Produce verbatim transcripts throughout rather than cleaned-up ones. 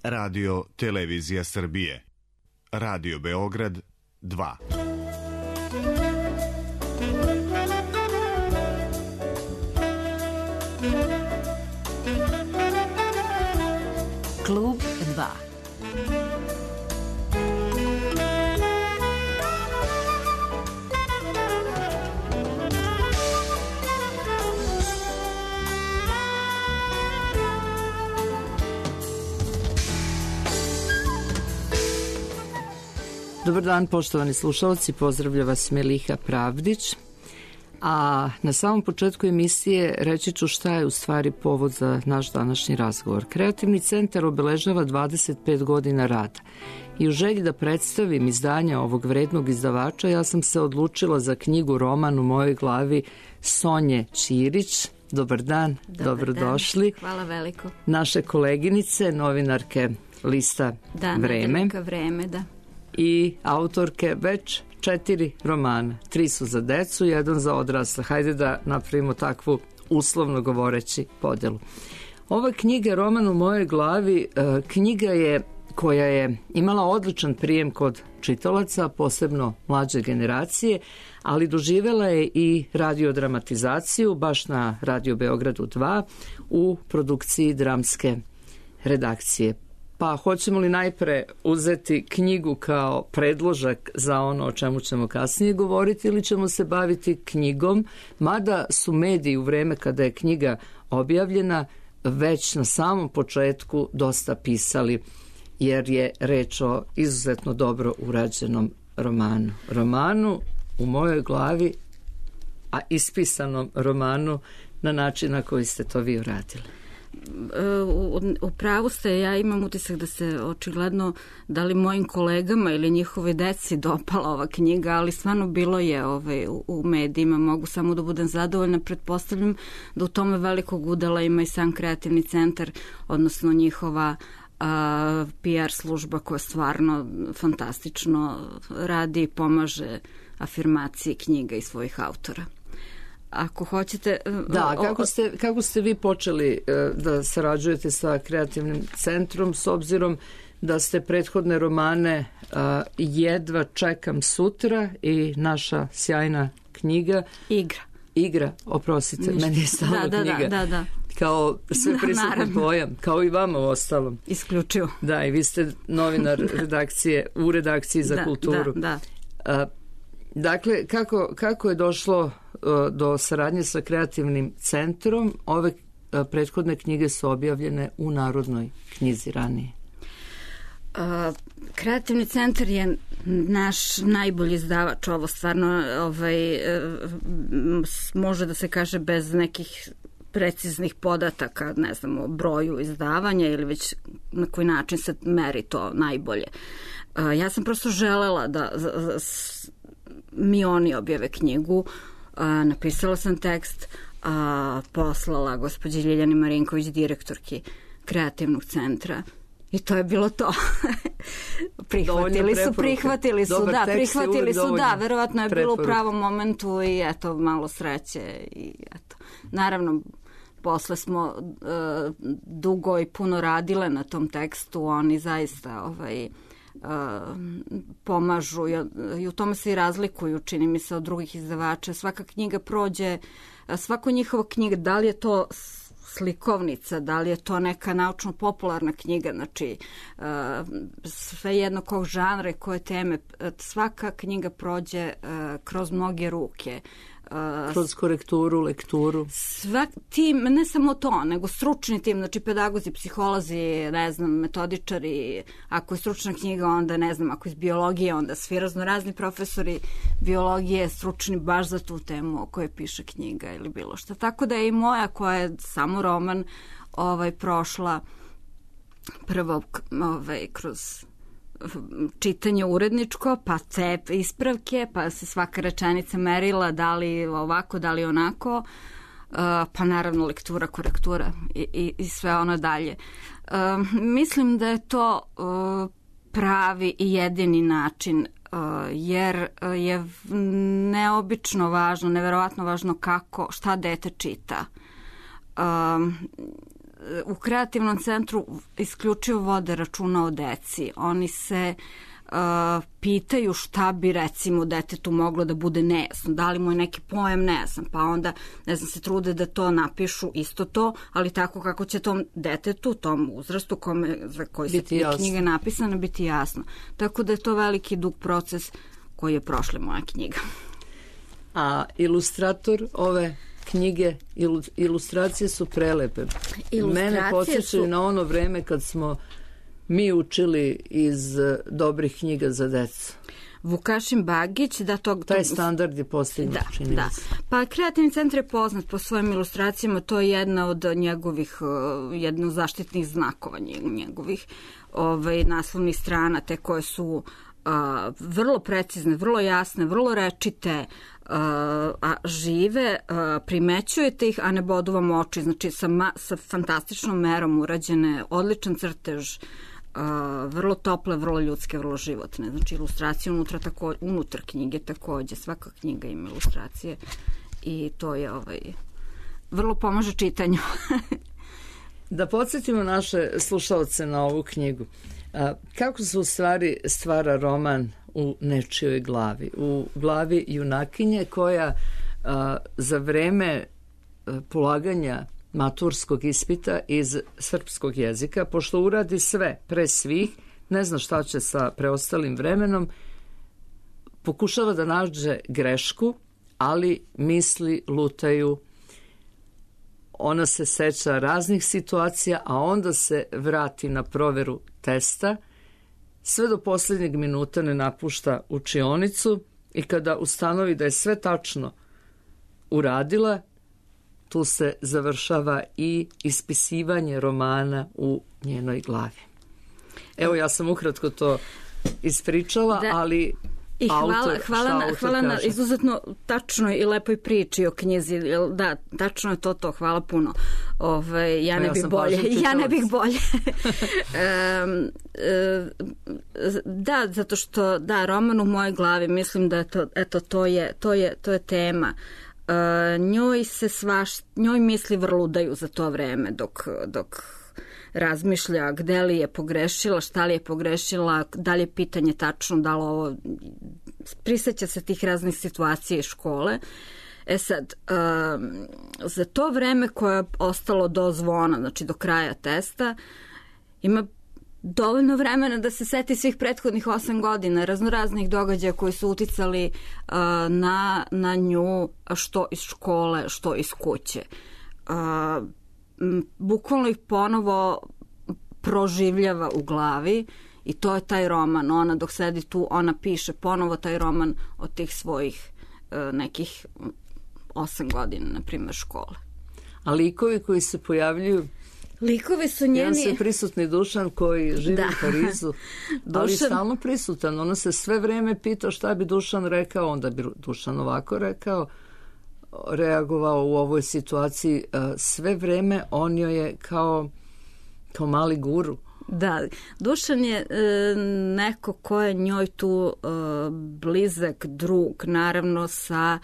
Radio Televizija Srbije. Radio Beograd dva. Klub dva. Dobar dan, poštovani slušalci, pozdravlja vas Meliha Pravdić. A na samom početku emisije reći ću šta je u stvari povod za naš današnji razgovor. Kreativni centar obeležava dvadeset pet godina rada i u želji da predstavim izdanja ovog vrednog izdavača ja sam se odlučila za knjigu roman u mojoj glavi Sonje Ćirić. Dobar dan, Dobar dobrodošli. Dan. Hvala veliko. Naše koleginice, novinarke lista da, Vreme. Da, Vreme, da. I autorke već četiri romana. Tri su za decu, jedan za odrasle. Hajde da napravimo takvu uslovno govoreći podelu. Ova knjiga, roman u mojoj glavi, knjiga je koja je imala odličan prijem kod čitalaca, posebno mlađe generacije, ali doživela je i radiodramatizaciju baš na Radio Beogradu dva u produkciji dramske redakcije. Pa hoćemo li najpre uzeti knjigu kao predložak za ono o čemu ćemo kasnije govoriti ili ćemo se baviti knjigom, mada su mediji u vreme kada je knjiga objavljena već na samom početku dosta pisali, jer je reč o izuzetno dobro urađenom romanu. Romanu u mojoj glavi, a ispisanom romanu na način na koji ste to vi uradili. U, u pravu ste, ja imam utisak da se očigledno da li mojim kolegama ili njihove deci dopala ova knjiga, ali stvarno bilo je ovaj, u, u medijima, mogu samo da budem zadovoljna, pretpostavljam da u tome velikog udela ima i sam kreativni centar, odnosno njihova a, P R služba koja stvarno fantastično radi i pomaže afirmaciji knjiga i svojih autora. Ako hoćete... Da, kako ste, kako ste vi počeli da sarađujete sa kreativnim centrom s obzirom da ste prethodne romane Jedva čekam sutra i naša sjajna knjiga Igra. Igra, oprostite, Ništa. Meni je stala da, da, knjiga. Da, da, da. Kao sve prisutni pojam, kao i vama u ostalom. Isključivo. Da, i vi ste novinar redakcije, u redakciji za da, kulturu. Da, da. Dakle, kako, kako je došlo do saradnje sa kreativnim centrom? Ove prethodne knjige su objavljene u Narodnoj knjizi ranije. Uh, kreativni centar je naš najbolji izdavač, ovo stvarno ovaj, uh, može da se kaže bez nekih preciznih podataka, ne znam, o broju izdavanja ili već na koji način se meri to najbolje. Uh, ja sam prosto želela da s, mi oni objave knjigu, a, napisala sam tekst, a, poslala gospođi Ljiljani Marinković, direktorki kreativnog centra, i to je bilo to. prihvatili su, prihvatili su, dobar da, prihvatili su, da, verovatno je preporuka. Bilo u pravom momentu i eto, malo sreće i eto. Naravno, posle smo uh, dugo i puno radile na tom tekstu, oni zaista ovaj Uh, pomažu i, i u tome se i razlikuju, čini mi se, od drugih izdavača. Svaka knjiga prođe, svako njihova knjiga, da li je to slikovnica, da li je to neka naučno-popularna knjiga, znači uh, sve jedno kog žanra i koje teme, svaka knjiga prođe uh, kroz mnoge ruke. Uh, kroz korekturu, lekturu. Svak tim, ne samo to, nego stručni tim, znači pedagozi, psiholozi, ne znam, metodičari, ako je stručna knjiga, onda ne znam, ako je iz biologije, onda svi raznorazni profesori biologije stručni baš za tu temu o kojoj piše knjiga ili bilo šta. Tako da je i moja, koja je samo roman, ovaj, prošla prvo ovaj, kroz čitanje uredničko, pa te ispravke, pa se svaka rečenica merila da li ovako, da li onako, pa naravno lektura, korektura i, i, i sve ono dalje. Mislim da je to pravi i jedini način, jer je neobično važno, neverovatno važno kako, šta dete čita. u kreativnom centru isključivo vode računa o deci. Oni se Uh, pitaju šta bi recimo detetu moglo da bude nejasno, da li mu je neki pojam nejasan, pa onda ne znam se trude da to napišu isto to, ali tako kako će tom detetu, tom uzrastu kome, za koji se knjiga napisana biti jasno. Tako da je to veliki dug proces koji je prošla moja knjiga. A ilustrator ove knjige, ilu, ilustracije su prelepe. Ilustracije Mene podsjećaju su... na ono vreme kad smo mi učili iz dobrih knjiga za decu. Vukašin Bagić, da to... Taj standard je postignut, da, čini da. se. Pa kreativni centar je poznat po svojim ilustracijama, to je jedna od njegovih, jedna od zaštitnih znakova njegovih ovaj, naslovnih strana, te koje su a, vrlo precizne, vrlo jasne, vrlo rečite, a, a žive, a, primećujete ih, a ne bodu vam oči, znači sa, ma, sa fantastičnom merom urađene, odličan crtež, Uh, vrlo tople, vrlo ljudske, vrlo životne. Znači ilustracije unutra, tako, unutar knjige takođe. Svaka knjiga ima ilustracije i to je ovaj, vrlo pomaže čitanju. Da podsjetimo naše slušalce na ovu knjigu. A, kako se u stvari stvara roman u nečijoj glavi? U glavi junakinje koja a, za vreme a, polaganja maturskog ispita iz srpskog jezika, pošto uradi sve pre svih, ne zna šta će sa preostalim vremenom, pokušava da nađe grešku, ali misli lutaju. Ona se seća raznih situacija, a onda se vrati na proveru testa, sve do posljednjeg minuta ne napušta učionicu i kada ustanovi da je sve tačno uradila, tu se završava i ispisivanje romana u njenoj glavi. Evo, ja sam ukratko to ispričala, da. ali I hvala, autor, hvala, na, autor hvala na izuzetno tačnoj i lepoj priči o knjizi. Da, tačno je to to. Hvala puno. Ove, ja, ne ja, bih bolje, ja ne bih bolje. um, da, zato što da, roman u mojoj glavi, mislim da je to, eto, to je, to je, to je tema. Uh, njoj se svaš, njoj misli vrludaju za to vreme dok, dok razmišlja gde li je pogrešila, šta li je pogrešila, da li je pitanje tačno, da li ovo, prisjeća se tih raznih situacija iz škole. E sad, uh, za to vreme koje je ostalo do zvona, znači do kraja testa, ima dovoljno vremena da se seti svih prethodnih osam godina, raznoraznih događaja koji su uticali uh, na, na nju, što iz škole, što iz kuće. Uh, m, bukvalno ih ponovo proživljava u glavi i to je taj roman. Ona dok sedi tu, ona piše ponovo taj roman od tih svojih uh, nekih osam godina, na primjer, škole. A likovi koji se pojavljuju, likovi su njeni... Jedan se prisutni Dušan koji živi da. u Parizu, Dušan... ali stalno prisutan. Ona se sve vreme pita šta bi Dušan rekao, onda bi Dušan ovako rekao, reagovao u ovoj situaciji. Sve vreme on joj je kao, kao mali guru. Da, Dušan je e, neko ko je njoj tu e, blizak drug, naravno sa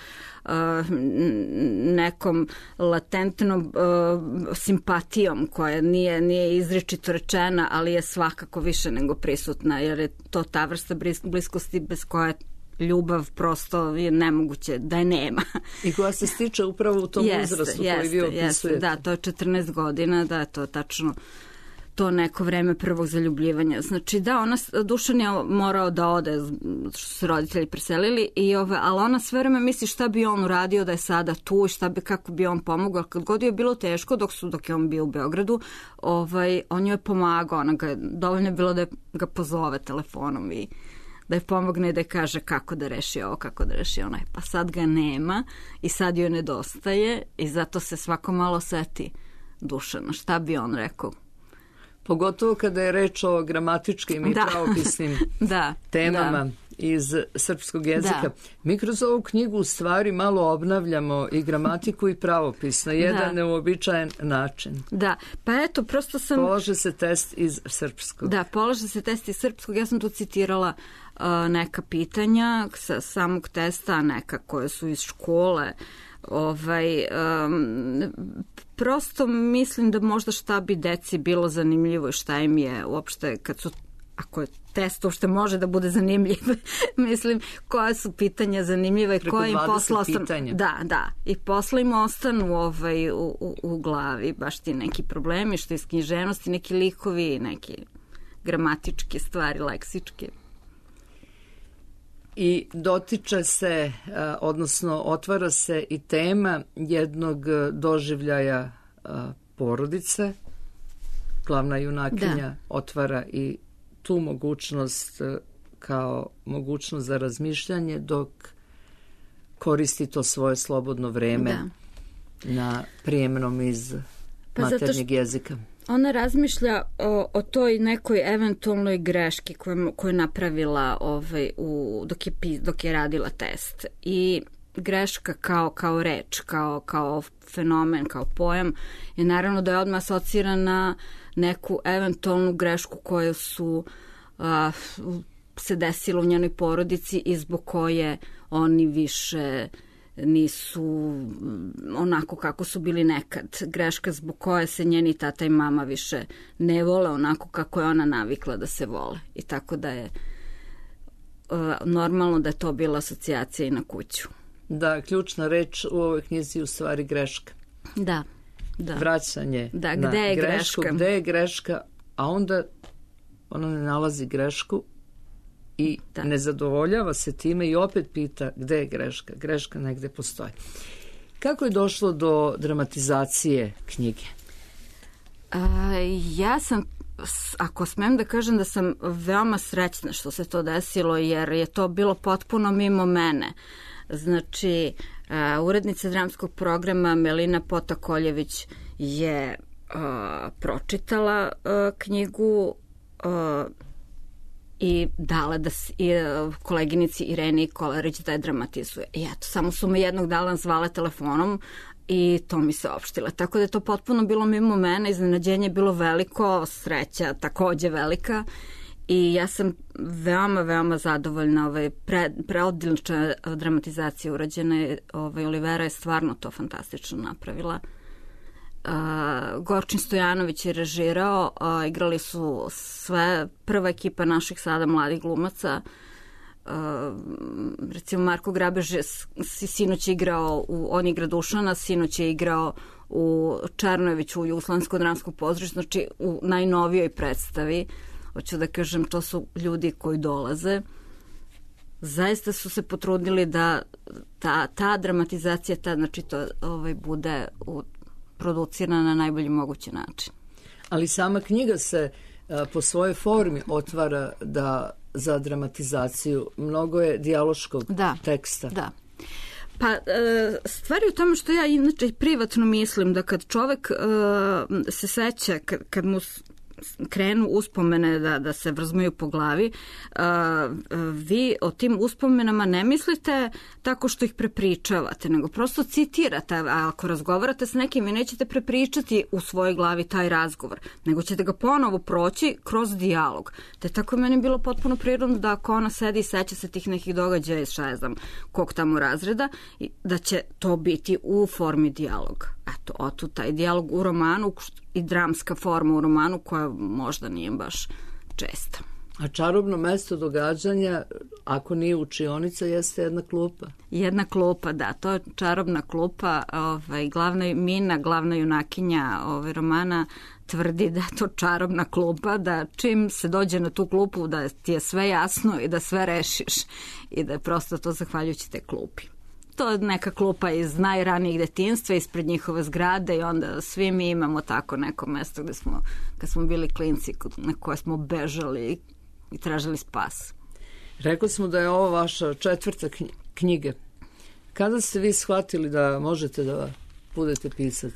e, nekom latentnom e, simpatijom koja nije, nije izričito rečena, ali je svakako više nego prisutna, jer je to ta vrsta bliskosti bez koje ljubav prosto je nemoguće da je nema. I koja se stiče upravo u tom jeste, uzrastu jeste, koji vi opisujete. Jeste, da, to je četrnaest godina, da je to tačno to neko vreme prvog zaljubljivanja. Znači da, ona, Dušan je morao da ode, što su roditelji preselili, i ove, ali ona sve vreme misli šta bi on uradio da je sada tu, šta bi, kako bi on pomogao. Kad god je bilo teško, dok, su, dok je on bio u Beogradu, ovaj, on joj je pomagao. Ona ga, dovoljno je bilo da ga pozove telefonom i da je pomogne i da je kaže kako da reši ovo, kako da reši onaj. Pa sad ga nema i sad joj nedostaje i zato se svako malo seti Dušana. Šta bi on rekao? Pogotovo kada je reč o gramatičkim i da. pravopisnim da. temama da. iz srpskog jezika. Da. Mi kroz ovu knjigu u stvari malo obnavljamo i gramatiku i pravopis na jedan da. neuobičajen način. Da, pa eto, prosto sam... Polaže se test iz srpskog. Da, polaže se test iz srpskog. Ja sam tu citirala uh, neka pitanja sa samog testa, neka koje su iz škole. Ovaj, um, prosto mislim da možda šta bi deci bilo zanimljivo i šta im je uopšte, kad su, ako je test uopšte može da bude zanimljiv, mislim, koja su pitanja zanimljiva i koja im posla ostanu. Da, da. I posla im ostanu ovaj, u, u, u glavi, baš ti neki problemi, što iz književnosti, neki likovi, neki gramatičke stvari, leksičke. I dotiče se, odnosno otvara se i tema jednog doživljaja porodice. Glavna junakinja da. Otvara i tu mogućnost kao mogućnost za razmišljanje dok koristi to svoje slobodno vreme da. Na prijemnom iz pa maternjeg jezika. Ona razmišlja o, o toj nekoj eventualnoj greški koju, koju je napravila ovaj, u, dok, je, dok je radila test. I greška kao, kao reč, kao, kao fenomen, kao pojam je naravno da je odmah asocira na neku eventualnu grešku koju su a, se desilo u njenoj porodici i zbog koje oni više nisu onako kako su bili nekad. Greška zbog koje se njeni tata i mama više ne vole onako kako je ona navikla da se vole. I tako da je uh, normalno da je to bila asocijacija i na kuću. Da, ključna reč u ovoj knjizi je u stvari greška. Da, da. Vraćanje da, na gde je grešku, greška? Gde je greška, a onda ona ne nalazi grešku i da. Ne zadovoljava se time i opet pita gde je greška. Greška negde postoji. Kako je došlo do dramatizacije knjige? A, ja sam, ako smem da kažem da sam veoma srećna što se to desilo, jer je to bilo potpuno mimo mene. Znači, a, urednica dramskog programa Melina Potakoljević je a, pročitala a, knjigu a, i dala da i koleginici Ireni Kolarić da je dramatizuje. I eto, samo su me jednog dana zvala telefonom i to mi se opštila. Tako da je to potpuno bilo mimo mene, iznenađenje je bilo veliko, sreća takođe velika i ja sam veoma, veoma zadovoljna. Ovaj, pre, preodlična dramatizacija urađena. Ovaj, Olivera je stvarno to fantastično napravila. Uh, Gorčin Stojanović je režirao, uh, igrali su sve, prva ekipa naših sada mladih glumaca, uh, recimo Marko Grabež je sinoć igrao, u, on igra Dušana, sinoć je igrao u Černojeviću u Juslansko dramsko pozorište, znači u najnovijoj predstavi. Hoću da kažem, to su ljudi koji dolaze. Zaista su se potrudili da ta, ta dramatizacija, ta, znači to ovaj, bude u producirana na najbolji mogući način. Ali sama knjiga se a, po svojoj formi otvara da za dramatizaciju. Mnogo je dijaloškog da, teksta. Da. Pa stvar je u tome što ja inače privatno mislim da kad čovek uh, se seća, kad, kad mu krenu uspomene da, da se vrzmaju po glavi, uh, vi o tim uspomenama ne mislite tako što ih prepričavate, nego prosto citirate, a ako razgovarate s nekim, vi nećete prepričati u svojoj glavi taj razgovor, nego ćete ga ponovo proći kroz dijalog. Te tako je meni bilo potpuno prirodno da ako ona sedi i seća se tih nekih događaja iz šta je znam kog tamo razreda, da će to biti u formi dijaloga. Eto, otu taj dijalog u romanu i dramska forma u romanu koja možda nije baš česta. A čarobno mesto događanja, ako nije učionica, jeste jedna klupa. Jedna klupa, da, to je čarobna klupa. Ovaj, glavna Mina, glavna junakinja ovaj, romana, tvrdi da je to čarobna klupa, da čim se dođe na tu klupu da ti je sve jasno i da sve rešiš i da je prosto to zahvaljujući te klupi. To je neka klupa iz najranijih detinjstva, ispred njihove zgrade i onda svi mi imamo tako neko mesto gde smo, kad smo bili klinci, na koje smo bežali i tražili spas. Rekli smo da je ovo vaša četvrta knjiga. Kada ste vi shvatili da možete da budete pisac?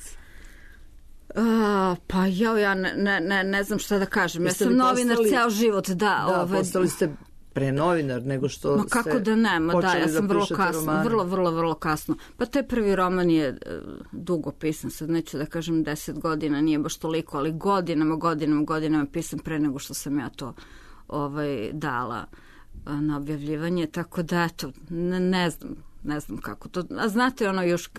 A, pa ja, ja ne, ne, ne znam šta da kažem. Ja sam novinar postali, ceo život. Da, da ove, postali ste pre novinar nego što ma kako ste da ne, ma da, ja sam da vrlo kasno, romane. vrlo, vrlo, vrlo kasno. Pa taj prvi roman je uh, dugo pisan, sad neću da kažem deset godina, nije baš toliko, ali godinama, godinama, godinama pisan pre nego što sam ja to ovaj, dala uh, na objavljivanje, tako da eto, ne, ne znam, ne znam kako to, a znate ono još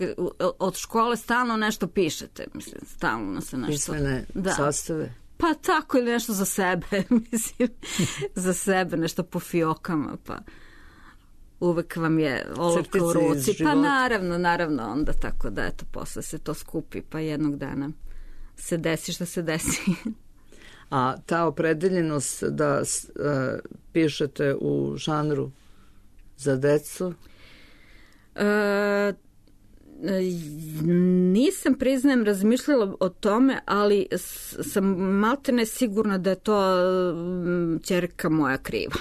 od škole stalno nešto pišete, mislim, stalno se nešto... Pismene da. Sastave? Pa tako, ili nešto za sebe, mislim, za sebe, nešto po fiokama, pa uvek vam je olovka u ruci. Pa naravno, naravno, onda tako da, eto, posle se to skupi, pa jednog dana se desi što se desi. A ta opredeljenost da uh, pišete u žanru za decu? E, nisam, priznajem, razmišljala o tome, ali sam maltene sigurna da je to ćerka moja kriva.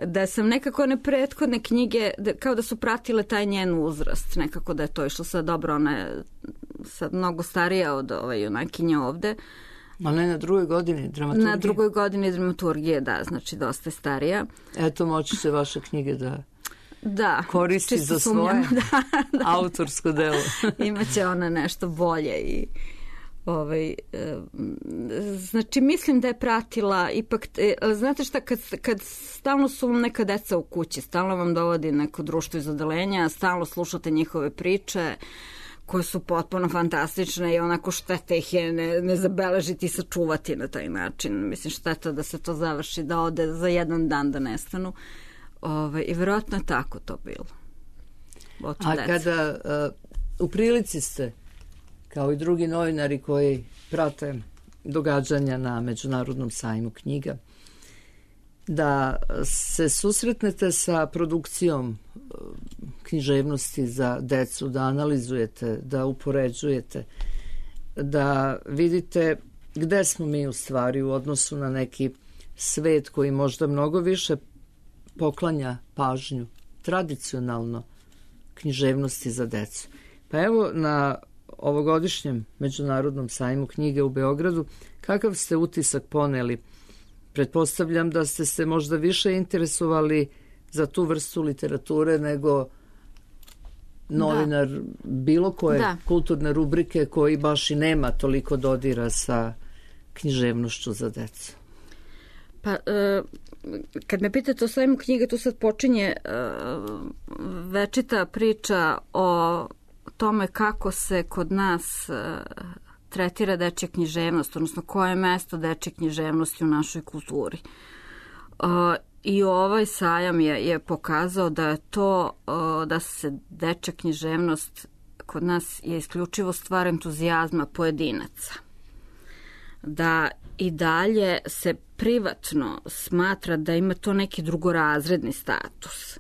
Da sam nekako one prethodne knjige, da, kao da su pratile taj njen uzrast, nekako da je to išlo sad dobro, ona je sad mnogo starija od ove junakinje ovde. Ali ne na drugoj godini dramaturgije? Na drugoj godini dramaturgije, da, znači dosta starija. Eto, moći se vaše knjige da... Da, koristi za svoje da, da. autorsko delo. Imaće ona nešto bolje i ovaj, e, znači mislim da je pratila ipak, e, znate šta, kad, kad stalno su vam neka deca u kući, stalno vam dovodi neko društvo iz odeljenja, stalno slušate njihove priče koje su potpuno fantastične i onako šteta ih je ne, ne zabeležiti i sačuvati na taj način. Mislim, šteta da se to završi, da ode za jedan dan da nestanu. Ove, i vjerojatno je tako to bilo. Oto A deca. kada uh, u prilici ste, kao i drugi novinari koji prate događanja na Međunarodnom sajmu knjiga, da se susretnete sa produkcijom uh, književnosti za decu, da analizujete, da upoređujete, da vidite gde smo mi u stvari u odnosu na neki svet koji možda mnogo više poklanja pažnju tradicionalno književnosti za decu. Pa evo na ovogodišnjem Međunarodnom sajmu knjige u Beogradu, kakav ste utisak poneli? Pretpostavljam da ste se možda više interesovali za tu vrstu literature nego novinar da. bilo koje da. kulturne rubrike koji baš i nema toliko dodira sa književnošću za decu. Pa, e, kad me pitate o sajmu knjiga, tu sad počinje e, večita priča o tome kako se kod nas e, tretira dečja književnost, odnosno koje je mesto dečje književnosti u našoj kulturi. E, I ovaj sajam je, je pokazao da je to, e, da se dečja književnost kod nas je isključivo stvar entuzijazma pojedinaca. Da i dalje se privatno smatra da ima to neki drugorazredni status.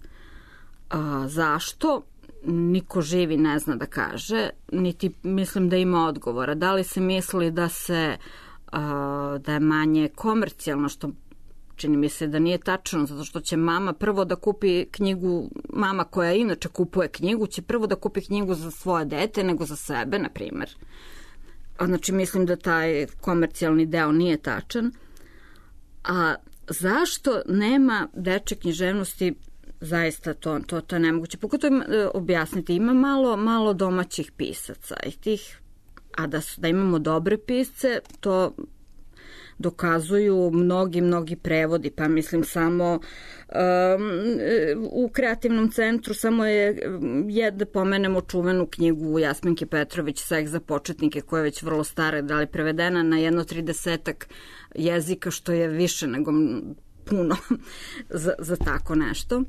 A, zašto? Niko živi ne zna da kaže, niti mislim da ima odgovora. Da li se misli da se a, da je manje komercijalno, što čini mi se da nije tačno, zato što će mama prvo da kupi knjigu, mama koja inače kupuje knjigu, će prvo da kupi knjigu za svoje dete nego za sebe, na primjer. Znači, mislim da taj komercijalni deo nije tačan. A zašto nema dečje književnosti? Zaista to, to, to je nemoguće. Pogotovo objasniti, ima malo, malo domaćih pisaca i tih, a da, su, da imamo dobre pisce, to dokazuju mnogi, mnogi prevodi, pa mislim samo um, u kreativnom centru samo je, je da pomenemo čuvenu knjigu Jasminke Petrović Seks za početnike, koja je već vrlo stara, da li prevedena na jedno tridesetak jezika, što je više nego puno za, za tako nešto.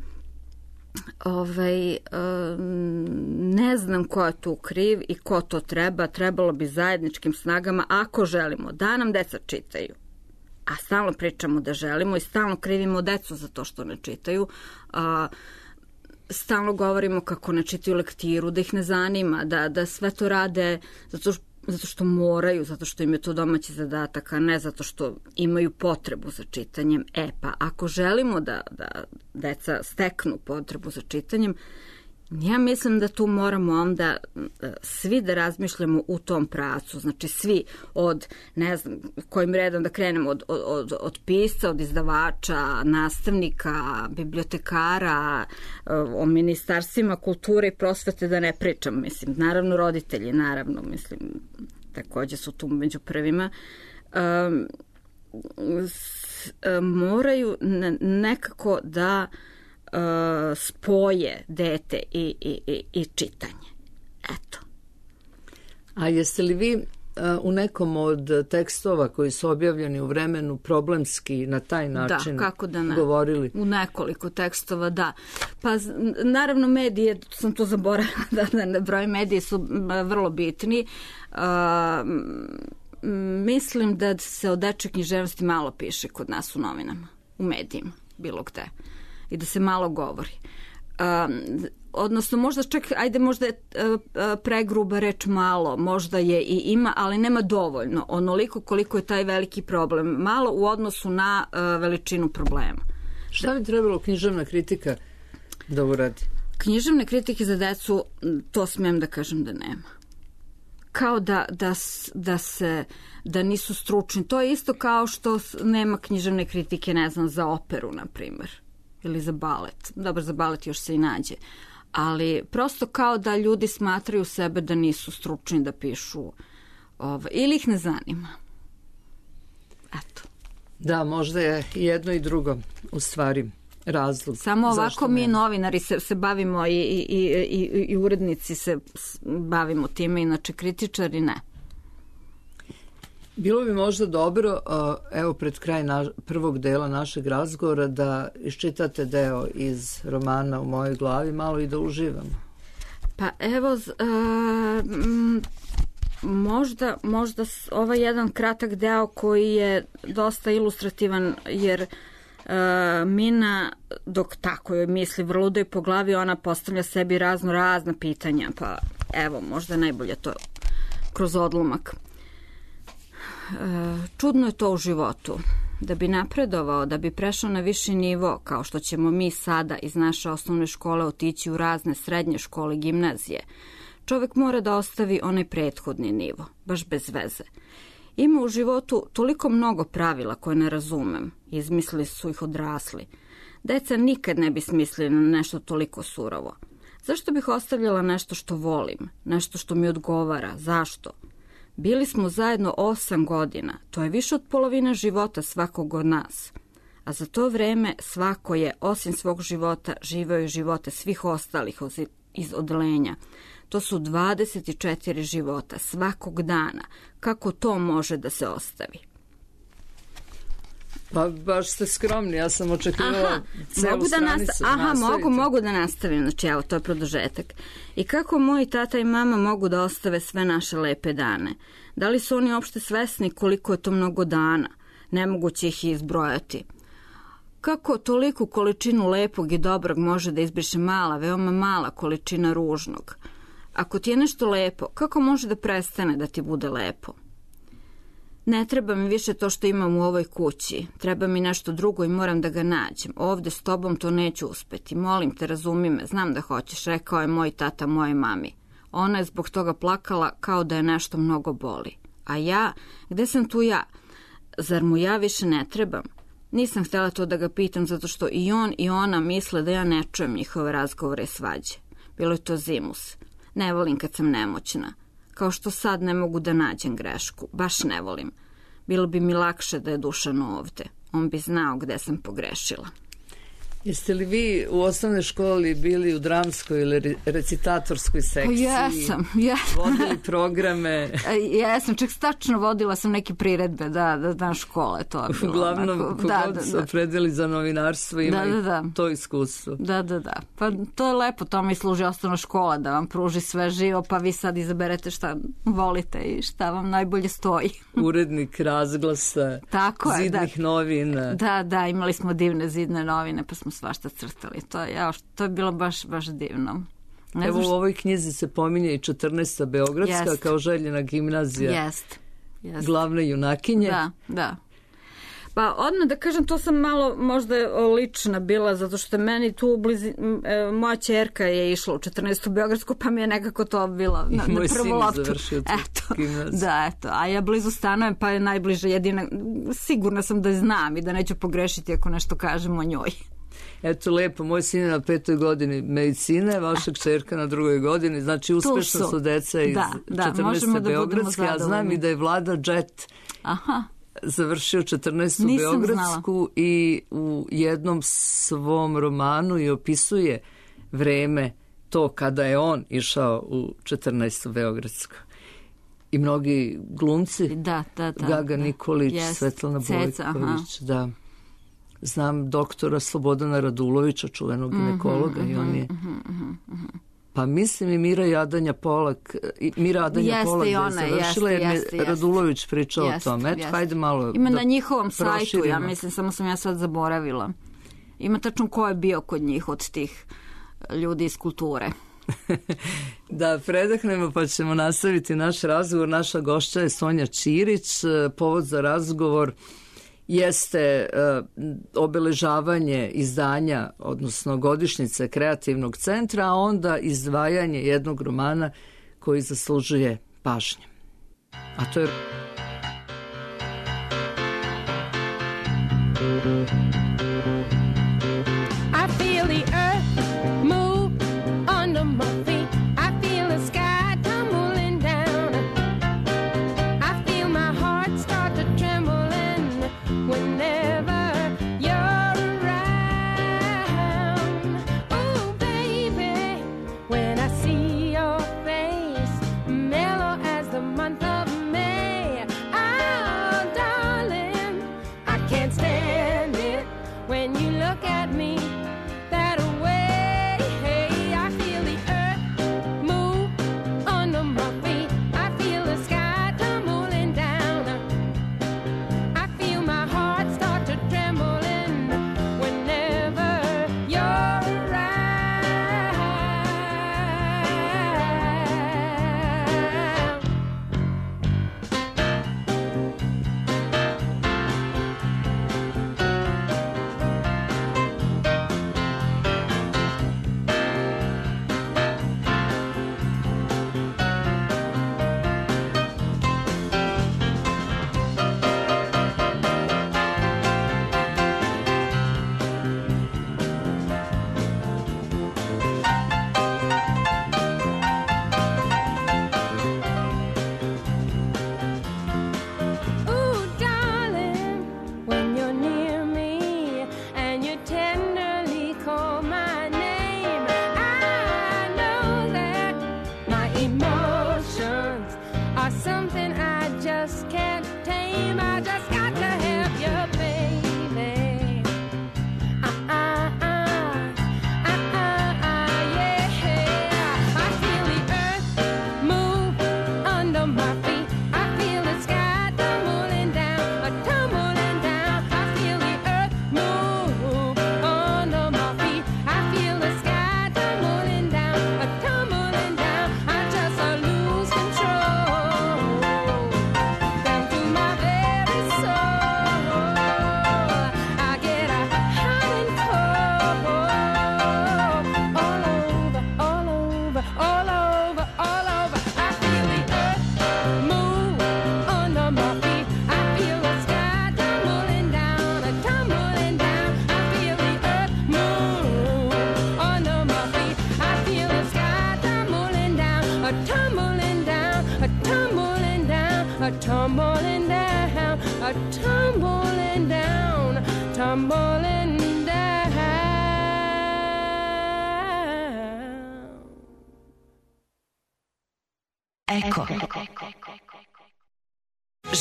Ovaj, ne znam ko je tu kriv i ko to treba. Trebalo bi zajedničkim snagama, ako želimo da nam deca čitaju, a stalno pričamo da želimo i stalno krivimo decu za to što ne čitaju, a, stalno govorimo kako ne čitaju lektiru, da ih ne zanima, da, da sve to rade zato što zato što moraju, zato što im je to domaći zadatak, a ne zato što imaju potrebu za čitanjem. E pa, ako želimo da, da deca steknu potrebu za čitanjem, ja mislim da tu moramo onda svi da razmišljamo u tom pravcu. Znači svi od, ne znam, kojim redom da krenemo, od, od, od pisca, od izdavača, nastavnika, bibliotekara, o ministarstvima kulture i prosvete da ne pričam. Mislim, naravno roditelji, naravno, mislim, takođe su tu među prvima. Um, s, moraju nekako da uh, spoje dete i, i, i, i čitanje. Eto. A jeste li vi uh, u nekom od tekstova koji su objavljeni u vremenu problemski na taj način da, kako da ne. govorili? U nekoliko tekstova, da. Pa naravno medije, sam to zaboravila da, da ne broj, mediji su vrlo bitni. Uh, mislim da se o dečjoj književnosti malo piše kod nas u novinama, u medijima, bilo gde. I da se malo govori. Um, odnosno možda čak, ajde možda je uh, pregruba reč malo, možda je i ima, ali nema dovoljno, onoliko koliko je taj veliki problem. Malo u odnosu na uh, veličinu problema. Šta bi trebalo književna kritika da uradi? Književne kritike za decu, to smijem da kažem da nema. Kao da, da, da se da nisu stručni. To je isto kao što nema književne kritike, ne znam, za operu, na primjer. Ili za balet. Dobro, za balet još se i nađe. Ali prosto kao da ljudi smatraju sebe da nisu stručni da pišu ovo. Ili ih ne zanima. Eto. Da, možda je jedno i drugo u stvari razlog. Samo ovako mi novinari se, se bavimo i, i, i, i, i urednici se bavimo time, inače kritičari ne. Bilo bi možda dobro, evo pred kraj na, prvog dela našeg razgovora, da iščitate deo iz romana U mojoj glavi, malo i da uživamo. Pa evo, uh, možda, možda ovaj jedan kratak deo koji je dosta ilustrativan, jer uh, Mina, dok tako joj misli vrludo i po glavi, ona postavlja sebi razno razna pitanja, pa evo, možda najbolje to kroz odlomak. Čudno je to u životu. Da bi napredovao, da bi prešao na viši nivo, kao što ćemo mi sada iz naše osnovne škole otići u razne srednje škole, gimnazije, čovjek mora da ostavi onaj prethodni nivo, baš bez veze. Ima u životu toliko mnogo pravila koje ne razumem, izmislili su ih odrasli. Deca nikad ne bi smislili na nešto toliko surovo. Zašto bih ostavljala nešto što volim, nešto što mi odgovara, zašto? Bili smo zajedno osam godina, to je više od polovine života svakog od nas. A za to vreme svako je, osim svog života, živeo i živote svih ostalih iz odelenja. To su dvadeset četiri života svakog dana. Kako to može da se ostavi? Pa baš ste skromni, ja sam očekivala celu mogu da stranicu. Nasta- Aha, mogu, mogu da nastavim, znači evo, to je produžetak. I kako moji tata i mama mogu da ostave sve naše lepe dane? Da li su oni uopšte svesni koliko je to mnogo dana? Nemoguće ih izbrojati. Kako toliku količinu lepog i dobrog može da izbriše mala, veoma mala količina ružnog? Ako ti je nešto lepo, kako može da prestane da ti bude lepo? Ne treba mi više to što imam u ovoj kući. Treba mi nešto drugo i moram da ga nađem. Ovde s tobom to neću uspeti. Molim te, razumi me, znam da hoćeš, rekao je moj tata moje mami. Ona je zbog toga plakala kao da je nešto mnogo boli. A ja, gde sam tu ja? Zar mu ja više ne trebam? Nisam htjela to da ga pitam zato što i on i ona misle da ja ne čujem njihove razgovore i svađe. Bilo je to zimus. Ne volim kad sam nemoćna. Kao što sad ne mogu da nađem grešku. Baš ne volim. Bilo bi mi lakše da je Dušan ovde. On bi znao gde sam pogrešila. Jeste li vi u osnovnoj školi bili u dramskoj ili recitatorskoj sekciji? Jesam, jesam. Vodili programe? Jesam, čak stačno vodila sam neke priredbe, da, da, da, škole, to je bilo. Uglavnom, onako, kogod da, da, se da. opredeli za novinarstvo ima da, da, da. to iskustvo. Da, da, da. Pa to je lepo, to mi služi osnovna škola, da vam pruži sve živo, pa vi sad izaberete šta volite i šta vam najbolje stoji. Urednik razglasa, tako je, zidnih da. novina. Da, da, imali smo divne zidne novine, pa smo svašta crtali. To je, ja, to je bilo baš, baš divno. Ne Evo znaš... u ovoj knjizi se pominje i četrnaesta Beogradska Jest. kao željena gimnazija. Jest. Jest. Glavne junakinje. Da, da. Pa odmah da kažem, to sam malo možda lična bila, zato što meni tu u blizi, moja ćerka je išla u četrnaestu Beogradsku, pa mi je nekako to bilo na, na prvu loptu. Moj sin završio tu gimnaziju. Da, eto. A ja blizu stanujem, pa je najbliže jedina. Sigurna sam da je znam i da neću pogrešiti ako nešto kažem o njoj. Eto, lepo, moj sin je na petoj godini medicine, vaša kćerka na drugoj godini, znači uspešno su. su deca iz da, da, četrnaeste da Beogradske, a znam i da je Vlada Džet Aha. završio četrnaestu Beogradsku i u jednom svom romanu i opisuje vreme to kada je on išao u četrnaestu Beogradsku. I mnogi glumci, da, da, da, Gaga da. Nikolić, Yes. Svetlana Ceca, Bojković, da. Znam doktora Slobodana Radulovića, čuvenog ginekologa, mm-hmm, i on je... Mm-hmm, mm-hmm. Pa mislim i Mira Jadanja Polak, i Mira Jadanja jeste Polak i ona, da je završila, jer mi jeste, Radulović pričao jeste, o tome. Eto, jeste. hajde malo ima da na njihovom sajtu, proširimo. ja mislim, samo sam ja sad zaboravila. Ima tačno ko je bio kod njih od tih ljudi iz kulture. Da predahnemo pa ćemo nastaviti naš razgovor. Naša gošća je Sonja Ćirić. Povod za razgovor jeste uh, obeležavanje izdanja, odnosno godišnjice Kreativnog centra, a onda izdvajanje jednog romana koji zaslužuje pažnje. A to je... I feel the earth move under my feet. I feel the sky tumbling down. I feel my heart start to tremble whenever you're around. Oh, baby, when I see your face, mellow as the month of May. Oh, darling, I can't stand it when you look at me that way. I feel the earth move under my feet. I feel the sky tumbling down. I feel my heart start to trembling whenever you're around. Ooh, darling, when you're near me and you tenderly call my name, I know that my emotions are something I just can't tame. I just got to have you, baby. Uh-uh-uh, uh-uh-uh, yeah. I feel the earth move under my feet. I feel the sky tumbling down, a tumbling down. I feel the earth move under my feet. I feel the sky tumbling down, a tumbling down. I just uh, lose control down to my very soul. I get a hot and cold all over, all over, all over, all over. I feel the earth move under my feet. I feel the sky tumbling down, a tumbling down. I feel the earth move under my feet. I feel the sky tumbling down, a tumbling down, a tumbling down, a tumbling down, a tumbling down, tumbling down. Eko.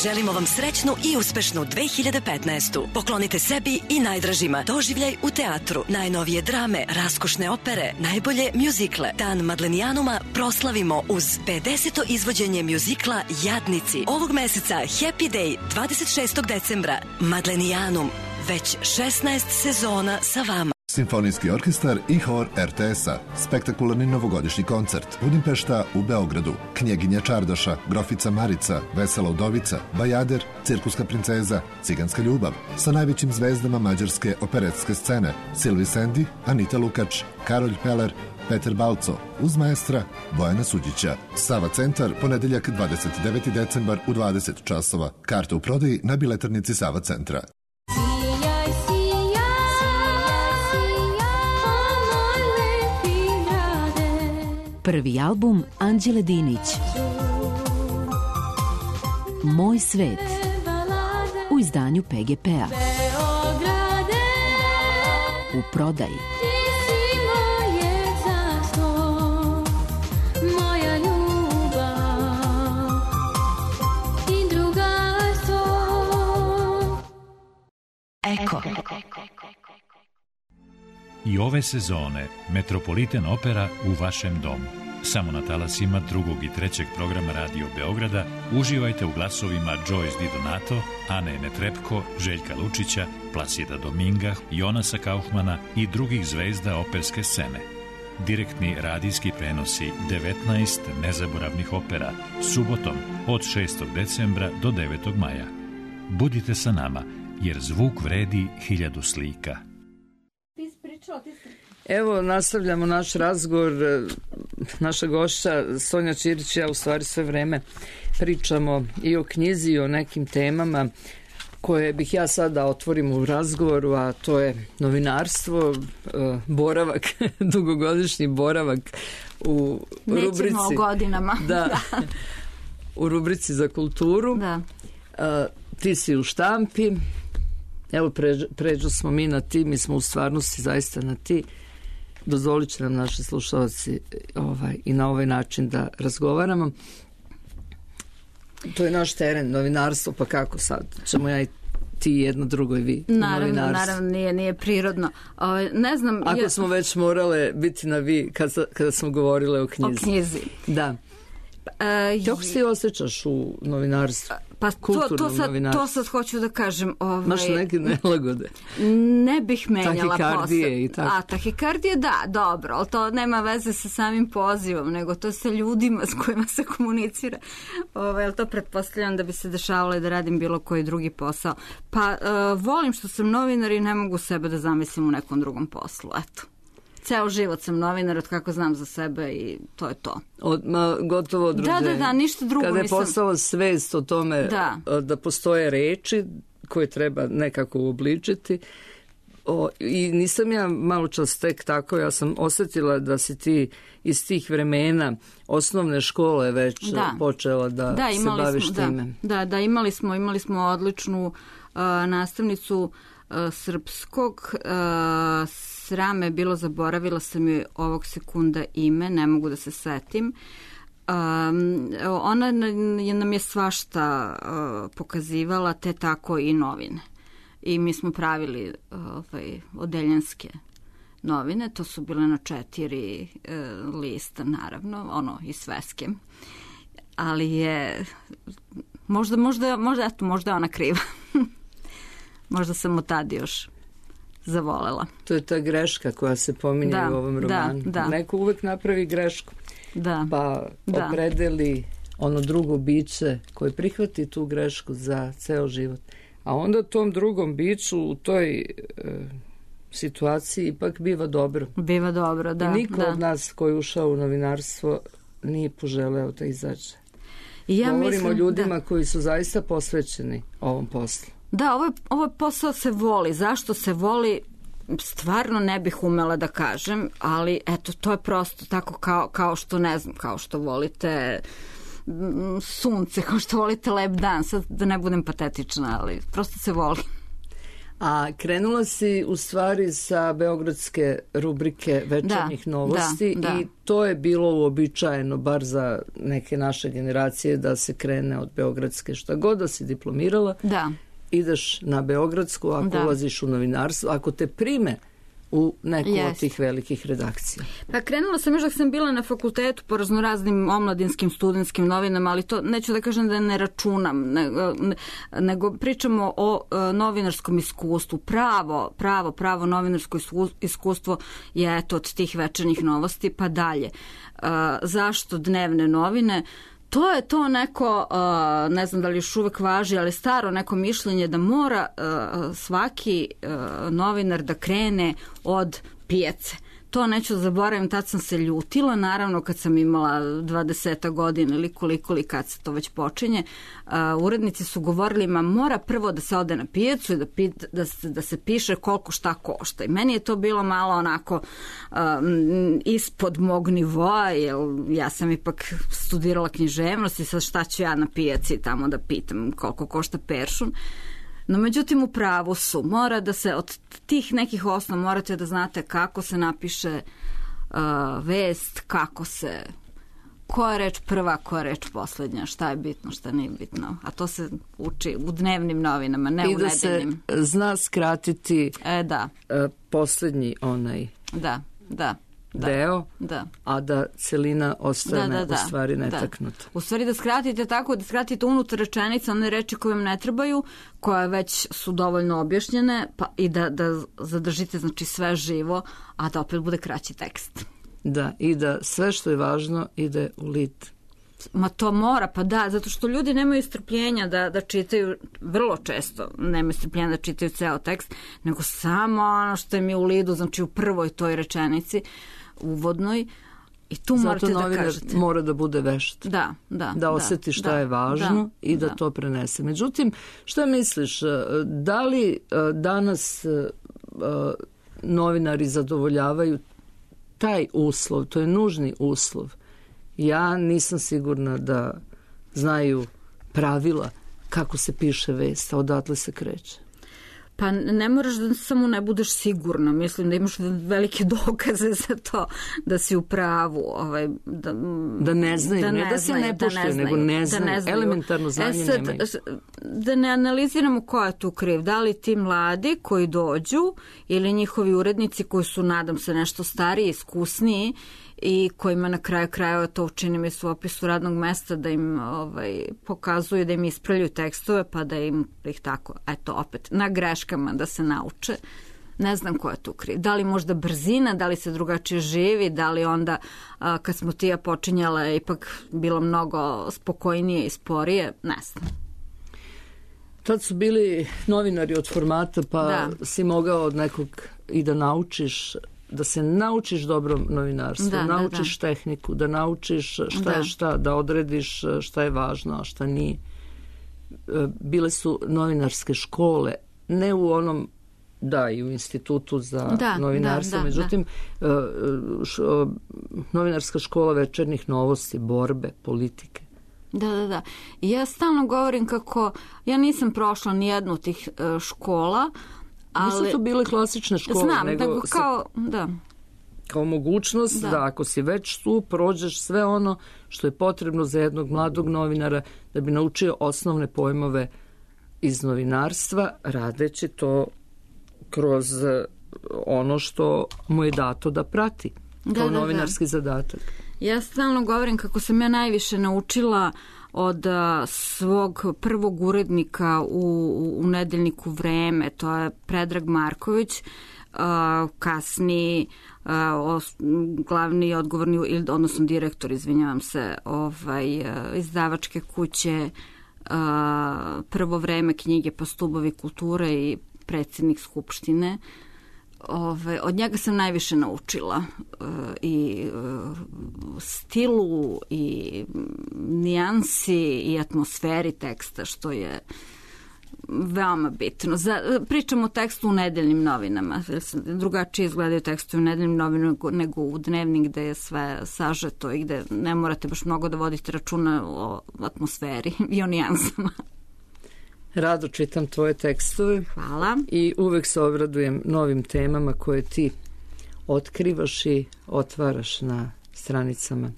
Želimo vam srećnu i uspešnu dve hiljade petnaestu. Poklonite sebi i najdražima doživljaj u teatru, najnovije drame, raskošne opere, najbolje mjuzikle. Dan Madlenijanuma proslavimo uz pedeseto izvođenje mjuzikla Jadnici. Ovog meseca Happy Day, dvadeset šestog decembra. Madlenijanum, već šesnaest sezona sa vama. Simfonijski orkestar i hor er te es-a. Spektakularni novogodišnji koncert. Budimpešta u Beogradu. Knjeginja Čardaša, Grofica Marica, Vesela udovica, Bajader, Cirkuska princeza, Ciganska ljubav. Sa najvećim zvezdama mađarske operetske scene. Silvi Sendi, Anita Lukač, Karolj Peler, Peter Balco, uz maestra Bojana Suđića. Sava centar, ponedeljak dvadeset deveti decembar u dvadeset časova. Karte u prodaji na biletarnici Sava centra. Prvi album Anđele Dinić. Moj svet. izdanju P G P-a. Beograde, U prodaji. ti si moje carstvo, moja ljubav i drugarstvo. Eko. I ove sezone Metropolitan Opera u vašem domu. Samo na talasima drugog i trećeg programa Radio Beograda uživajte u glasovima Joyce Di Donato, Ane Netrepko, Željka Lučića, Plasida Dominga, Jonasa Kaufmana i drugih zvezda operske scene. Direktni radijski prenosi devetnaest nezaboravnih opera subotom od šestog decembra do devetog maja. Budite sa nama, jer zvuk vredi hiljadu slika. Evo, nastavljamo naš razgovor. Naša gošća Sonja Ćirić, ja u stvari sve vreme pričamo i o knjizi i o nekim temama koje bih ja sada otvorim u razgovoru, a to je novinarstvo, boravak, dugogodišnji boravak u Nećemo rubrici. o godinama. Da, u rubrici za kulturu. Da. A, ti si u štampi. Evo, pređu, pređu smo mi na ti, mi smo u stvarnosti zaista na ti. Dozvolit će nam naši slušalci ovaj, i na ovaj način da razgovaramo. To je naš teren, novinarstvo, pa kako sad? Ćemo ja i ti jedno, drugo i vi. Naravno, naravno, nije, nije prirodno. O, ne znam... Ako ja... smo već morale biti na vi kada, kada smo govorile o knjizi. O knjizi. Da. E, Kako se ti osjećaš u novinarstvu? Pa to, to, sad, to sad hoću da kažem. Ovaj, Maš neke nelagode? Ne bih menjala posao. Tahikardije i tako. A, tahikardije da, dobro, ali to nema veze sa samim pozivom, nego to sa ljudima s kojima se komunicira. Ovaj, ali to pretpostavljam da bi se dešavalo i da radim bilo koji drugi posao. Pa uh, volim što sam novinar i ne mogu sebe da zamislim u nekom drugom poslu, eto. Ceo život sam novinar, od kako znam za sebe i to je to. Od, ma, gotovo od rođenja. Da, da, da, ništa drugo. Kada je nisam... postala svest o tome da. da postoje reči koje treba nekako uobličiti. O, I nisam ja malo čas tek tako, ja sam osjetila da si ti iz tih vremena osnovne škole već da. počela da, da se baviš smo, time. Da, da, da, imali smo, imali smo odličnu uh, nastavnicu uh, srpskog, uh, srame je bilo, zaboravila sam joj ovog sekunda ime, ne mogu da se setim. Um, ona nam je svašta uh, pokazivala, te tako i novine. I mi smo pravili ovaj, odeljenske novine, to su bile na četiri uh, lista, naravno, ono, i sveske. Ali je, možda, možda, možda, eto, možda je ona kriva. Možda sam od tada još zavolela. To je ta greška koja se pominje da, u ovom romanu. Da, da. Neko uvek napravi grešku. Da. Pa da. opredeli ono drugo biće koje prihvati tu grešku za ceo život. A onda tom drugom biću u toj e, situaciji ipak biva dobro. Biva dobro, da. I niko da. od nas koji je ušao u novinarstvo nije poželeo da izađe. Ja Govorimo mislim, o ljudima da. koji su zaista posvećeni ovom poslu. Da, ovo, ovo posao se voli. Zašto se voli? Stvarno ne bih umela da kažem, ali eto, to je prosto tako kao, kao što, ne znam, kao što volite sunce, kao što volite lep dan, sad da ne budem patetična, ali prosto se voli. A krenula si u stvari sa beogradske rubrike Večernjih da, novosti da, da. i to je bilo uobičajeno, bar za neke naše generacije, da se krene od beogradske. Šta god da si diplomirala, da. ideš na beogradsku, ako da. ulaziš u novinarstvo, ako te prime u neku yes. od tih velikih redakcija. Pa krenula sam još dok sam bila na fakultetu po raznoraznim omladinskim studentskim novinama, ali to neću da kažem da ne računam, nego, nego pričamo o uh, novinarskom iskustvu. Pravo, pravo, pravo novinarsko iskustvo je eto od tih Večernjih novosti pa dalje. Uh, zašto dnevne novine? To je to neko, uh, ne znam da li još uvek važi, ali staro neko mišljenje da mora uh, svaki uh, novinar da krene od pijace. To neću zaboravim, tad sam se ljutila, naravno kad sam imala dvadeset godina ili koliko li kad se to već počinje. Uh, urednici su govorili, ma mora prvo da se ode na pijacu i da, pit, da, se, da se piše koliko šta košta. I meni je to bilo malo onako um, ispod mog nivoa, jer ja sam ipak studirala književnost i sad šta ću ja na pijaci tamo da pitam koliko košta peršun. No međutim u pravu su. Mora da se od tih nekih osnova morate da znate kako se napiše uh, vest, kako se, koja je reč prva, koja je reč poslednja, šta je bitno, šta nije bitno. A to se uči u dnevnim novinama, ne I u da nedeljnim. se zna skratiti E, da. uh, poslednji onaj Da, da. Da, deo, da. a da celina ostane Da, da, da. u stvari Da. netaknuta. U stvari da skratite tako, da skratite unutar rečenica one reči koje vam ne trebaju, koje već su dovoljno objašnjene, pa i da, da zadržite znači sve živo, a da opet bude kraći tekst. Da, i da sve što je važno ide u lit. Ma to mora, pa da, zato što ljudi nemaju strpljenja da, da čitaju, vrlo često nemaju strpljenja da čitaju ceo tekst, nego samo ono što im je u lidu, znači u prvoj toj rečenici, uvodnoj, i tu Zato morate da novinar kažete. mora da bude vešt. Da, da. Da osjeti šta da, je važno da, i da, da to prenese. Međutim, šta misliš, da li danas novinari zadovoljavaju taj uslov, to je nužni uslov? Ja nisam sigurna da znaju pravila kako se piše vest, a odatle se kreće. Pa ne moraš da samo ne budeš sigurna, mislim da imaš velike dokaze za to da si u pravu. Ovaj, da, da ne znaju, da ne, ne da se ne poštuju, nego ne znaju, da ne znaju. Elementarno znanje e sad, nemaju. Da ne analiziramo ko je tu kriv, da li ti mladi koji dođu ili njihovi urednici koji su, nadam se, nešto stariji, iskusniji i kojima na kraju krajeva to učini mi su u opisu radnog mesta da im ovaj, pokazuju, da im ispravljaju tekstove pa da im ih tako, eto opet, na greškama da se nauče. Ne znam ko je tu kriv. Da li možda brzina, da li se drugačije živi, da li onda a, kad smo ti ja počinjala ipak bilo mnogo spokojnije i sporije, ne znam. Tad su bili novinari od formata pa da. Si mogao od nekog i da naučiš, da se naučiš dobro novinarstvo, da, naučiš da, da. tehniku, da naučiš šta da. je šta, da odrediš šta je važno, a šta nije. Bile su novinarske škole, ne u onom, da, i u institutu za da, novinarstvo, da, da, međutim, da. Š, novinarska škola večernjih novosti, borbe, politike. Da, da, da. I ja stalno govorim kako ja nisam prošla ni jednu od tih škola, ali... Nisu to bile klasične škole, znam, nego... nego kao, sa, da. Kao mogućnost da. da ako si već tu, prođeš sve ono što je potrebno za jednog mladog novinara da bi naučio osnovne pojmove iz novinarstva, radeći to kroz ono što mu je dato da prati, kao da, da, novinarski da. zadatak. Ja stalno govorim kako sam ja najviše naučila od a, svog prvog urednika u, u nedeljniku Vreme, to je Predrag Marković, a, kasni a, os, glavni odgovorni, odnosno direktor, izvinjavam se, ovaj, a, izdavačke kuće a, Prvo vreme knjige pa Stubovi kulture i predsjednik Skupštine. Ove, od njega sam najviše naučila e, i e, stilu i nijansi i atmosferi teksta, što je veoma bitno. Za, pričam o tekstu u nedeljnim novinama. Drugačije izgledaju tekstu u nedeljnim novinama nego, nego u dnevnik gde je sve sažeto i gde ne morate baš mnogo da vodite računa o atmosferi i o nijansama. Rado čitam tvoje tekstove. Hvala. I uvek se obradujem novim temama koje ti otkrivaš i otvaraš na stranicama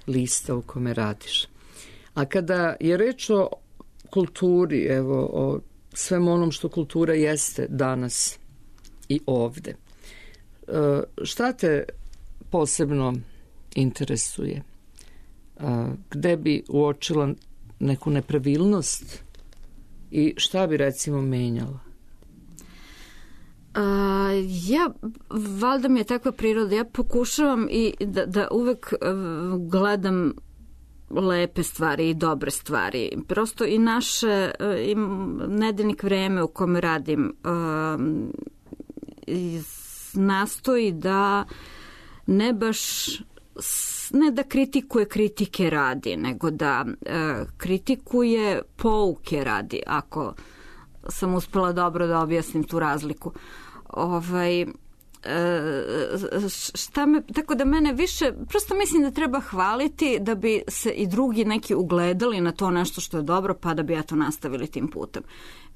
lista u kome radiš. A kada je reč o kulturi, evo, o svem onom što kultura jeste danas i ovde, šta te posebno interesuje? Gde bi uočila neku nepravilnost i šta bi recimo menjala? Uh, ja, valjda mi je takva priroda, ja pokušavam i da, da uvek uh, gledam lepe stvari i dobre stvari. Prosto i naše uh, i nedeljnik Vreme u kome radim uh, nastoji da ne baš ne da kritikuje kritike radi, nego da e, kritikuje pouke radi, ako sam uspela dobro da objasnim tu razliku. Ovaj, e, šta me, tako da mene više, prosto mislim da treba hvaliti da bi se i drugi neki ugledali na to nešto što je dobro, pa da bi ja to nastavili tim putem.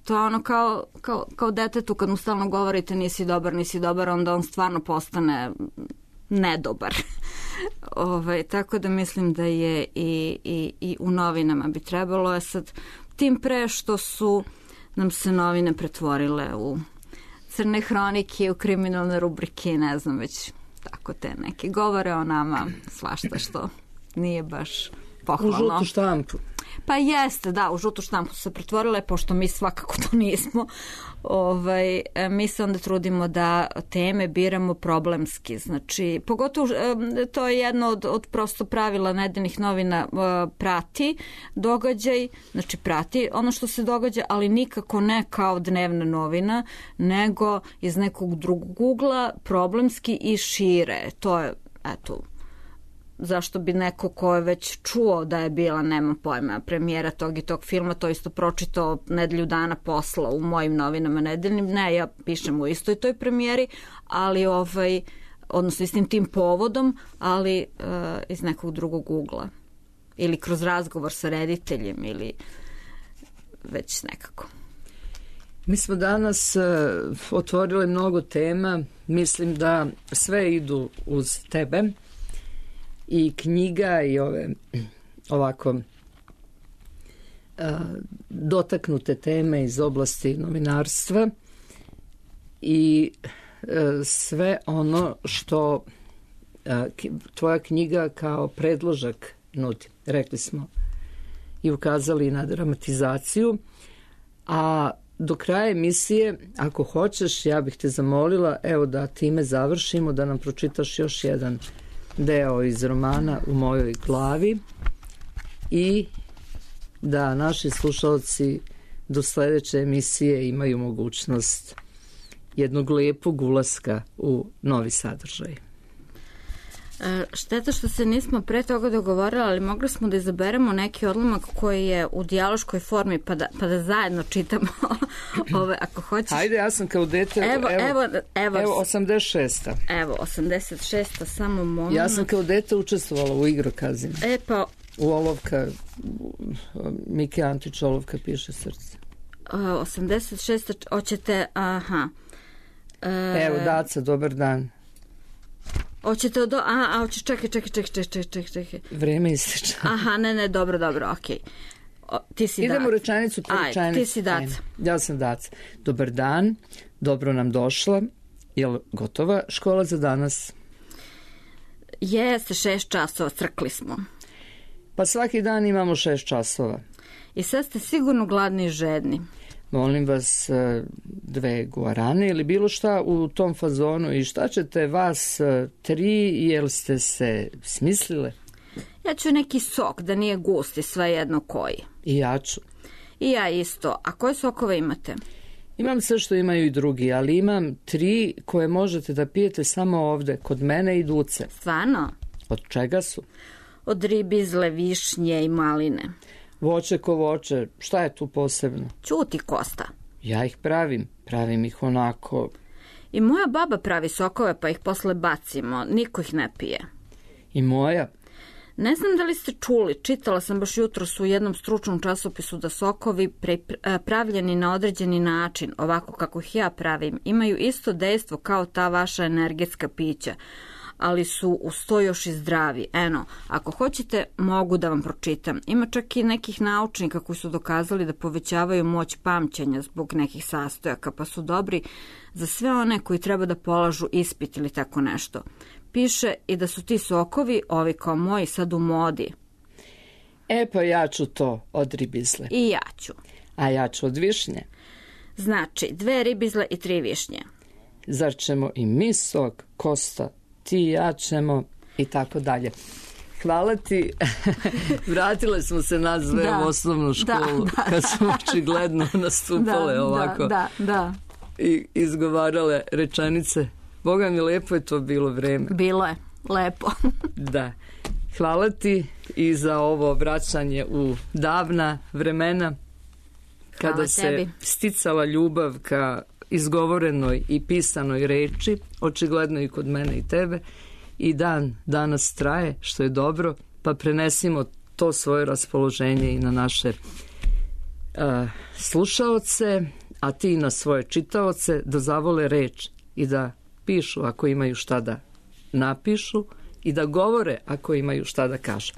To je ono kao, kao, kao detetu kad mu stalno govorite nisi dobar, nisi dobar, onda on stvarno postane nedobar. Ove, tako da mislim da je i, i, i u novinama bi trebalo. Je sad tim pre što su nam se novine pretvorile u crne hronike, u kriminalne rubrike, ne znam već tako te neke govore o nama, svašta što nije baš pohvalno. U žutu štampu. Pa jeste, da, u žutu štampu su se pretvorile, pošto mi svakako to nismo. Ovaj, mi se onda trudimo da teme biramo problemski. Znači, pogotovo to je jedno od, od prosto pravila nedeljnih novina, prati događaj, znači prati ono što se događa, ali nikako ne kao dnevna novina, nego iz nekog drugog ugla, problemski i šire. To je, eto, zašto bi neko ko je već čuo da je bila, nema pojma, premijera tog i tog filma, to isto pročitao nedelju dana posla u mojim novinama nedeljnim. Ne, ja pišem u istoj toj premijeri, ali ovaj, odnosno istim tim povodom, ali uh, iz nekog drugog ugla. Ili kroz razgovor sa rediteljem ili već nekako. Mi smo danas uh, otvorili mnogo tema. Mislim da sve idu uz tebe. I knjiga i ove ovako uh, dotaknute teme iz oblasti novinarstva i uh, sve ono što uh, tvoja knjiga kao predložak nudi. Rekli smo i ukazali na dramatizaciju, a do kraja emisije, ako hoćeš, ja bih te zamolila, evo da time završimo, da nam pročitaš još jedan deo iz romana U mojoj glavi i da naši slušalci do sledeće emisije imaju mogućnost jednog lijepog ulaska u novi sadržaj. Šteta što se nismo pre toga dogovorili, ali mogli smo da izaberemo neki odlomak koji je u dijaloškoj formi, pa da, pa da zajedno čitamo ove, ako hoćeš. Hajde, ja sam kao dete, evo, evo, evo, evo, evo osamdeset šesta. Evo, osamdeset šesta, samo moment. Ja sam kao dete učestvovala u igrokazima. E pa... U olovka, Mike Antić, olovka piše srce. Uh, osamdeset šesta, hoćete, aha. Uh, evo, Daca, dobar dan. Hoćete od... A, a, hoće, čekaj, čekaj, čekaj, čekaj, čekaj, čekaj. Vreme ističe. Aha, ne, ne, dobro, dobro, okej. Okay. Ti si Idemo Daca. rečenicu po rečenicu. Ti si Daca. Ja sam Daca. Dobar dan, dobro nam došla. Jel gotova škola za danas? Jeste, šest časova, crkli smo. Pa svaki dan imamo šest časova. I sad ste sigurno gladni i žedni. Molim vas dve guarane ili bilo šta u tom fazonu. I šta ćete vas tri, jel ste se smislile? Ja ću neki sok, da nije gusti, svejedno koji. I ja ću. I ja isto. A koje sokove imate? Imam sve što imaju i drugi, ali imam tri koje možete da pijete samo ovde, kod mene i Duce. Stvarno? Od čega su? Od ribizle, višnje i maline. Voće ko voće, šta je tu posebno? Ćuti, Kosta. Ja ih pravim, pravim ih onako. I moja baba pravi sokove, pa ih posle bacimo, niko ih ne pije. I moja? Ne znam da li ste čuli, čitala sam baš jutros u jednom stručnom časopisu da sokovi pre, pravljeni na određeni način, ovako kako ih ja pravim, imaju isto dejstvo kao ta vaša energetska pića, ali su uz to još i zdravi. Eno, ako hoćete, mogu da vam pročitam. Ima čak i nekih naučnika koji su dokazali da povećavaju moć pamćenja zbog nekih sastojaka, pa su dobri za sve one koji treba da polažu ispit ili tako nešto. Piše i da su ti sokovi, ovi kao moji, sad u modi. E pa ja ću to od ribizle. I ja ću. A ja ću od višnje. Znači, dve ribizle i tri višnje. Zar ćemo i mi sok, Kosta, ti i ja ćemo i tako dalje. Hvala ti. Vratile smo se nas dve da, u osnovnu školu da, da, kad smo očigledno nastupale da, ovako. Da, da, da. I izgovarale rečenice. Boga mi, lepo je to bilo vreme. Bilo je, lepo. Da. Hvala ti i za ovo vraćanje u davna vremena kada Hvala se tebi. Sticala ljubav ka izgovorenoj i pisanoj reči, očigledno i kod mene i tebe, i dan danas traje, što je dobro, pa prenesimo to svoje raspoloženje i na naše slušaoce, a ti na svoje čitaoce da zavole reč i da pišu ako imaju šta da napišu i da govore ako imaju šta da kažu.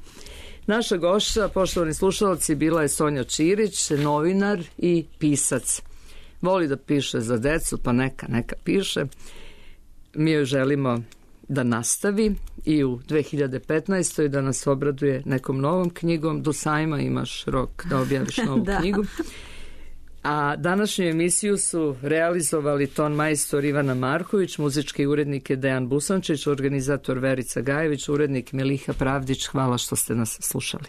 Naša gošća, poštovani slušalci, bila je Sonja Čirić, novinar i pisac. Voli da piše za decu, pa neka, neka piše. Mi joj želimo da nastavi i u dve hiljade petnaestoj da nas obraduje nekom novom knjigom. Do sajma imaš rok da objaviš novu da. knjigu. A današnju emisiju su realizovali ton majstor Ivana Marković, muzički urednik je Dejan Busančić, organizator Verica Gajević, urednik Miliha Pravdić. Hvala što ste nas slušali.